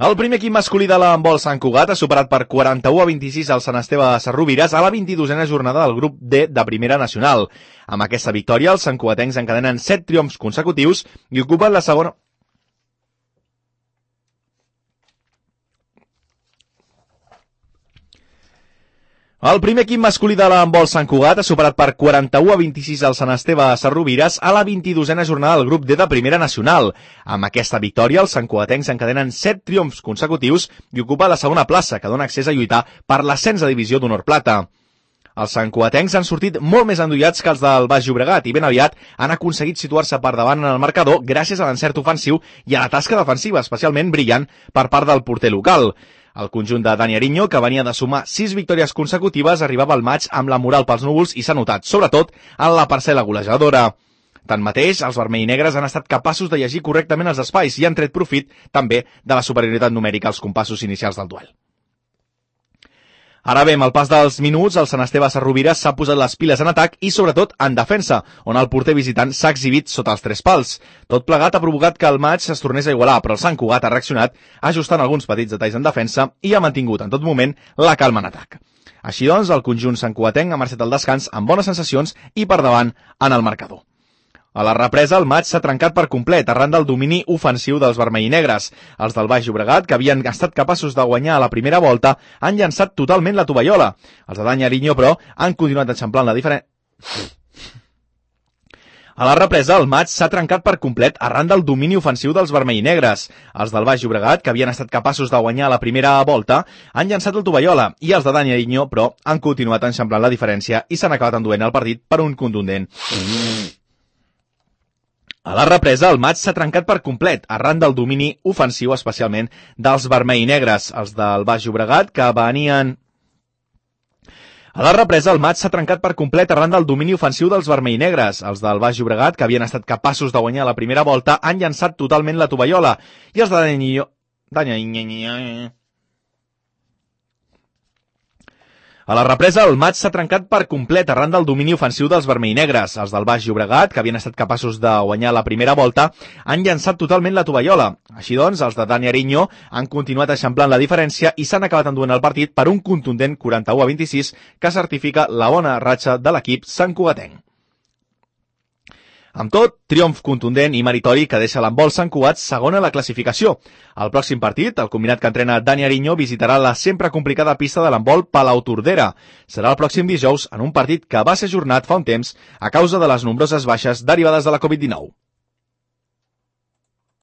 El primer equip masculí de l'handbol Sant Cugat ha superat per 41-26 el Sant Esteve de Sarrovires a la 22a jornada del grup D de Primera Nacional. Amb aquesta victòria, els santcugatencs encadenen 7 triomfs consecutius i ocupen la segona... El primer equip masculí de l'handbol Sant Cugat ha superat per 41-26 el Sant Esteve de Sarrovires a la 22a jornada del grup D de Primera Nacional. Amb aquesta victòria, els santcugatencs encadenen 7 triomfs consecutius i ocupa la segona plaça, que dona accés a lluitar per l'ascens a divisió d'honor plata. Els santcugatencs han sortit molt més endollats que els del Baix Llobregat i ben aviat han aconseguit situar-se per davant en el marcador gràcies a l'encert ofensiu i a la tasca defensiva, especialment brillant per part del porter local. El conjunt de Dani Ariño, que venia de sumar 6 victòries consecutives, arribava al maig amb la moral pels núvols i s'ha notat, sobretot, en la parcel·la golejadora. Tanmateix, els vermell-i-negres han estat capaços de llegir correctament els espais i han tret profit, també, de la superioritat numèrica als compassos inicials del duel. Ara bé, amb el pas dels minuts, el Sant Esteve Sarrovires s'ha posat les piles en atac i, sobretot, en defensa, on el porter visitant s'ha exhibit sota els 3 pals. Tot plegat ha provocat que el maig es tornés a igualar, però el Sant Cugat ha reaccionat ajustant alguns petits detalls en defensa i ha mantingut en tot moment la calma en atac. Així doncs, el conjunt santcugatenc ha marxat al descans amb bones sensacions i per davant en el marcador. A la represa, el maig s'ha trencat per complet arran del domini ofensiu dels vermell-i-negres. Els del Baix Llobregat, que havien estat capaços de guanyar a la primera volta, han llançat totalment la tovallola. Els de Dani Ariño, però, han continuat enxamplant la diferència. A la represa, el maig s'ha trencat per complet arran del domini ofensiu dels vermell-i-negres. Els del Baix Llobregat, que havien estat capaços de guanyar a la primera volta, han llançat la tovallola, i els de Dani Ariño, però, han continuat enxamplant la diferència i s'han acabat enduent el partit per un contundent. A la represa, el maig s'ha trencat per complet, arran del domini ofensiu, especialment dels vermell-i-negres. Els del Baix Llobregat, que venien... A la represa, el maig s'ha trencat per complet arran del domini ofensiu dels vermell-i-negres. Els del Baix Llobregat, que havien estat capaços de guanyar la primera volta, han llançat totalment la tovallola. I els de Dani... A la represa, el maig s'ha trencat per complet arran del domini ofensiu dels vermell-i-negres. Els del Baix Llobregat, que havien estat capaços de guanyar la primera volta, han llançat totalment la tovallola. Així doncs, els de Dani Ariño han continuat eixamplant la diferència i s'han acabat enduent el partit per un contundent 41-26 que certifica la bona ratxa de l'equip santcugatenc. Amb tot, triomf contundent i meritori que deixa l'handbol Sant Cugat segon a la classificació. El pròxim partit, el combinat que entrena Dani Ariño visitarà la sempre complicada pista de l'handbol Palau-Tordera. Serà el pròxim dijous en un partit que va ser ajornat fa un temps a causa de les nombroses baixes derivades de la Covid-19.